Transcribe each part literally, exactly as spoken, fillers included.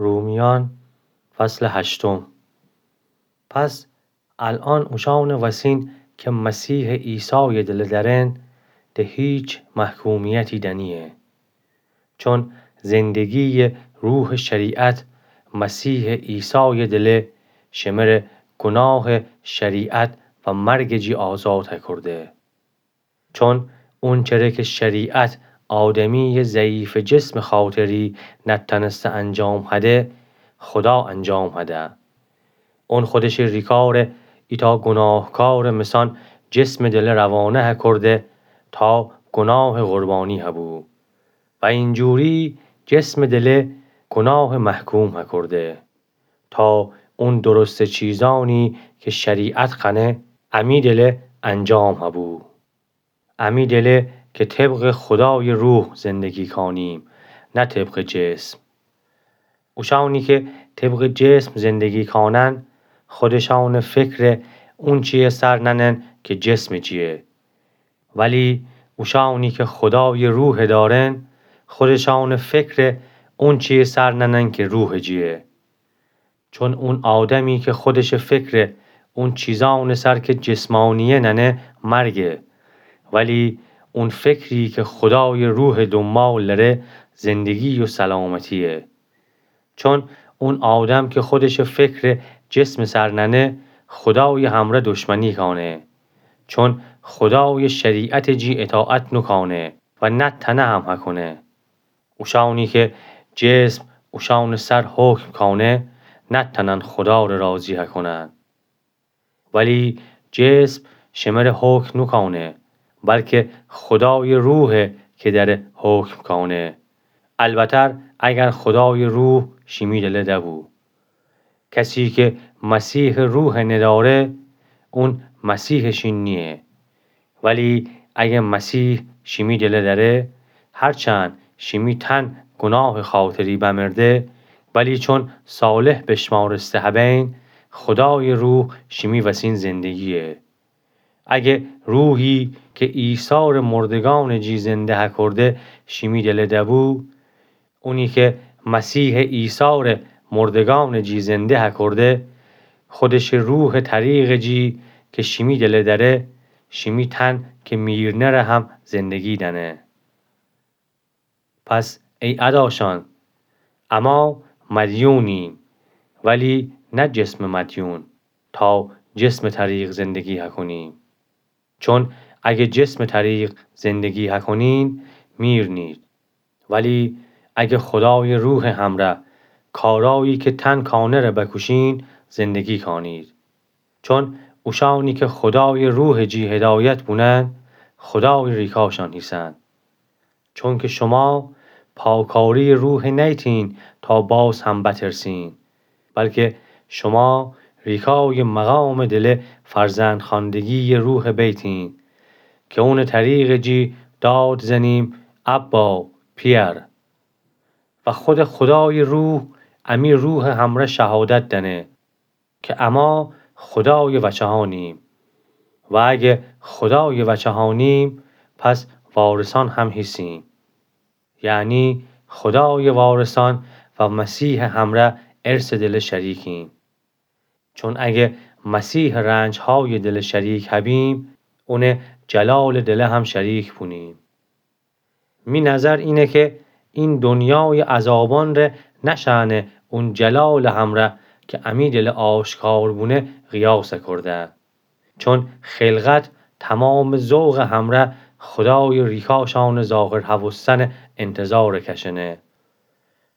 رومیأن، فصل هشتم. پس الأن اوشأنٚ وسین کی مسیحٚ عیسایٚ دله دأرن، ده هیچ محکومیتی دأنییه. چون زندگییٚ روحٚ شریعت مسیحٚ عیسایٚ دله شمره گوناهٚ شریعت و مرگٚ جی آزاد هکورده. چون اونچره کی شریعت آدمییٚ ضعیفٚ جسمٚ خاطری نتأنسته انجام هده، خودا انجام هده. اون خودشٚ ریکار ایتأ گوناهکارٚ مسأن جسمٚ دله روانه هکورده تا گوناهٚ قربانی هبو. و اینجوری جسمٚ دله گوناه محکوم هکورده، تا اون درستٚ چیزأنی کی شریعت خوأنه، امی دله انجام هبو. امی دله کی طبقٚ خودایٚ روح زندگی کانیم، نه طبقٚ جسم. اوشأنی کی طبقٚ جسم زندگی کانن، خودشأنٚ فکر اونچییه سر نأنن کی جسمٚ جییه. ولی اوشأنی کی خودایٚ روح دأرن، خودشأنٚ فکر اونچییه سر نأنن کی روحٚ جییه. چون اون آدمی کی خودشٚ فکر اون چیزأنٚ سر کی جسمانییه نأنه، مرگه. ولی اون فکری کی خودایٚ روحٚ دونبال دأره، زندگی و سلامتییه. چون اون آدم کی خودشٚ فکر جسمٚ سر نأنه، خودایٚ همرأ دشمنی کانه. چون خودایٚ شریعتٚ جی اطاعت نوکانه و نتأنه هم هکونه. اوشأنی کی جسم اوشأنٚ سر حکم کانه، نتأنن خودا ره راضی هکونن. ولی جسم شمره حکم نوکانه، بلکی خودایٚ روحه کی دأره حکم کانه. البتر اگر خودایٚ روح شیمی دله دبو. کسی کی مسیحٚ روح ندأره، اون مسیحٚ شین نییه. ولی اگه مسیح شیمی دله دأره، هرچند شیمی تن گوناهٚ خاطری بمرده، ولی چون صالح بشمارسته هبین، خودایٚ روح شیمی وسین زندگییه. اگه روحی کی عیسی ره مردگأنٚ جی زنده هکورده شیمی دله دبو، اونی کی مسیحٚ عیسی ره مردگأنٚ جی زنده هکورده، خودشٚ روحٚ طریقٚ جی کی شیمی دله دأره، شیمی تن کی میرنه ره هم زندگی دأنه. پس ای اداشأن، اما مدیونیم، ولی نه جسمٚ مدیون، تا جسمٚ طریق زندگی هکونیم. چون اگه جسمٚ طریق زندگی هکونین، میرنید. ولی اگه خودایٚ روحٚ همرأ کارایی کی تن کانه ره بکوشین، زندگی کانید. چون اوشأنی کی خودایٚ روحٚ جی هدایت بونن، خودایٚ ریکاشأن هیسن. چونکی شوما پاکاریٚ روح نیتین تا باز هم بترسین، بلکی شوما ریکایٚ مقامٚ دله فرزندخواندگییٚ روح بیتین، کی اونٚ طریقٚ جی داد زنیم: ابا، پئر. و خودٚ خودایٚ روح امی روحٚ همرأ شهادت دأنه کی اما خودایٚ وچهأنیم. و اگه خودایٚ وچهأنیم، پس وارثأن هم هیسیم. یعنی خودایٚ وارثأن و مسیحٚ همرأ ارثٚ دله شریکیم. چون اگه مسیحٚ رنجهایٚ دله شریک هبیم، اونٚ جلالٚ دله هم شریک بونیم. می نظر اینه کی این دنیایٚ عذابأن ره نشأنه اون جلالٚ همرأ کی امی دله آشکار بونه قیاس کوردن. چون خلقت تومامٚ ذوقٚ همرأ خودایٚ ریکاشأنٚ ظاهر هوستنٚ انتظار کشنه.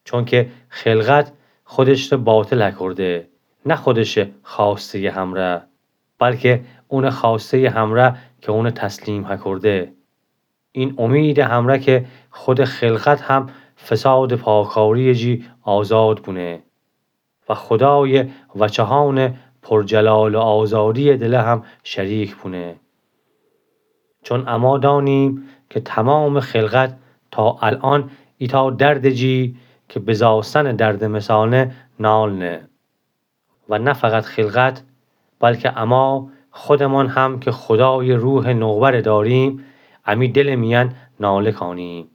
چونکی خلقت خودش ره باطل هکورده، نه خودشٚ خواستهیٚ همرأ، بلکی اونٚ خواستهیٚ همرأ کی اونه تسلیم هکورده. این امیدٚ همرأ کی خودٚ خلقت هم فسادٚ پاکارییٚ جی آزاد بونه و خودایٚ وچهأنٚ پرجلال و آزادییٚ دله هم شریک بونه. چون اما دأنیم کی تومامٚ خلقت تا الأن ایتأ دردٚ جی کی بزاستنٚ دردٚ مثأنه نالنه. و نه فقط خلقت، بلکی اما خودمأن هم کی خودایٚ روحٚ نوبره دأریم، امی دلٚ میأن ناله کانیم.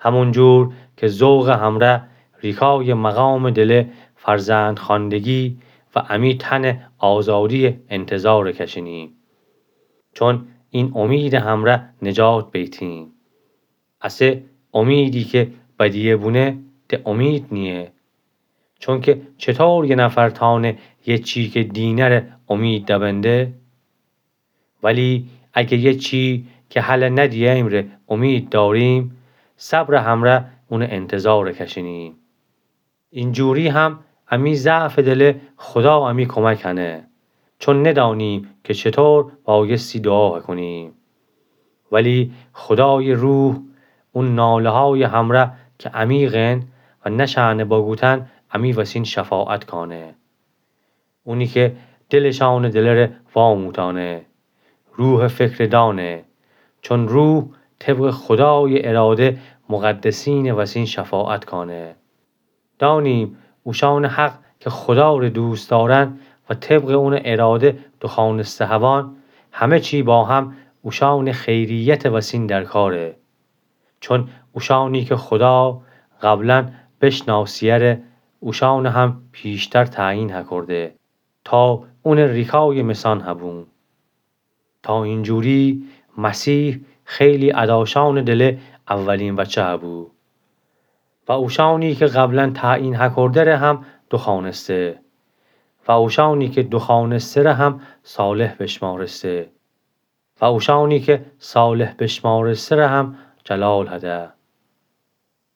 همون جور کی ذوقٚ همرأ ریکایٚ مقامٚ دلٚ فرزندخوأندگی و امی تنٚ آزادییٚ انتظارٚ کشینیم. چون این امیدٚ همرأ نجات بیتیم. اسه امیدی که بدیه بونه، ده امید نییه. چونکه چطور یه نفر تأنه یه چی که دینره امید دبنده؟ ولی اگه یه چی که هله ندییمره امید داریم، صبرٚ همرأ اونٚ انتظارٚ کشینیم. اینجوری هم امی ضعفٚ دله خودا امی کمک کنه، چون ندانیم که چطور بایستی دوعا کنیم. ولی خودایٚ روح اون ناله‌هایٚ همرأ که عمیقن و نشأنه بگوتن، امی وسین شفاعت کانه. اونی که دلٚ شأنٚ دلره واموتانه، روحٚ فکره دانه، چون روح طبقٚ خودایٚ اراده مقدسینٚ وسین شفاعت کانه. دانیم اوشأنٚ حق که خوداره دوست دارن و طبقٚ اونٚ اراده دوخوأنسته هوان، همه چی با هم اوشأنٚ خیریتٚ وسین در کاره. چون اوشأنی که خودا قبلا بشنأسییره، اوشأنه هم پیشتر تعیین هکرده تا اونٚ ریکایٚ مثأن هبون. تا اینجوری مسیح خیلی اداشأنٚ دله اولین وچه هبو و اوشأنی که قبلا تعیین هکرده‌ره هم دوخوأنسته و اوشأنی که دوخوأنسته‌ره هم صالح بشمأرسته و اوشأنی که صالح بشمأرسته‌ره هم جلال هده.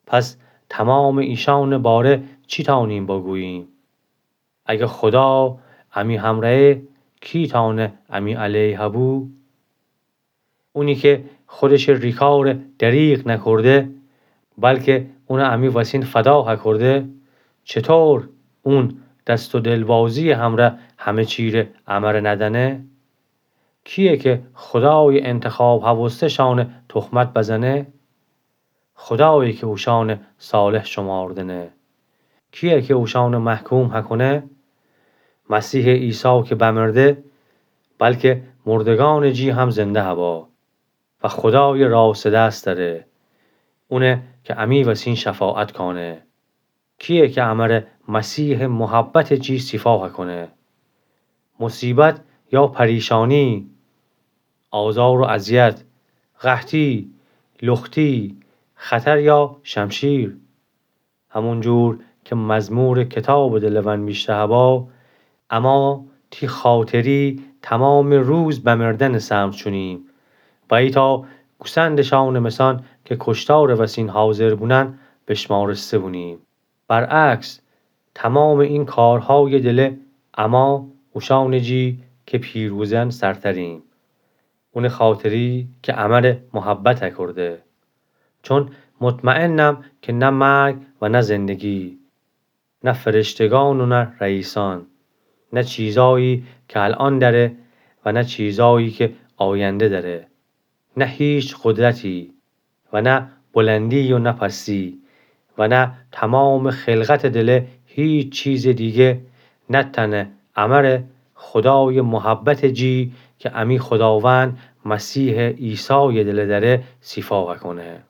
پس تومامٚ ایشأنٚ باره چی تأنیم بگوییم؟ اگه خودا امی همرأیه، کی تأنه امی علیه هبو؟ اونی که خودشٚ ریکاره دریغ نکرده، بلکه اونه امی وسین فدا هکرده، چطور اون دست و دلبازییٚ همرأ همه چیره امره ندأنه؟ کییه که خودایٚ انتخاب هوسته‌شأنه تهمت بزنه؟ خودایه که اوشأنه صالح شماردنه. کییه که اوشأنه محکوم هکونه؟ مسیحٚ عیسی که بمرده، بلکه مردگأنٚ جی هم زنده هوا و خودایٚ راستٚ دس دأره، اونه که امی وسین شفاعت کانه. کییه که امره مسیحٚ محبتٚ جی سیفا هکونه؟ مصیبت یا پریشانی، آزار و اذیت، قحطی، لختی، خطر یا شمشیر؟ همونجور که مزمورٚ کتابٚ دله ونویشته هوا، اما تی خاطری تومامٚ روز بمردنٚ سمت شونیم و ایتأ گوسندٚ شأنٚ مثأن که کشتارٚ وسین حاضر بونن بشمارسته بونیم. برعکس، تومامٚ این کارهایٚ دله اما اوشأنٚ جی که پیروزن سرتریم. اونٚ خاطری که امره محبت هکرده. چون مطمئنم که نه مرگ و نه زندگی، نه فرشتگان و نه رئیسأن، نه چیزایی که الأن دأره و نه چیزایی که آینده دأره، نه هیچ قدرتی و نه بلندی و نه پستی و نه تومامٚ خلقتٚ دله هیچ چیزٚ دیگه نتأنه امره خودایٚ محبتٚ جی که امی خوداوند مسیحٚ عیسایٚ دله دأره سیفا هکونه.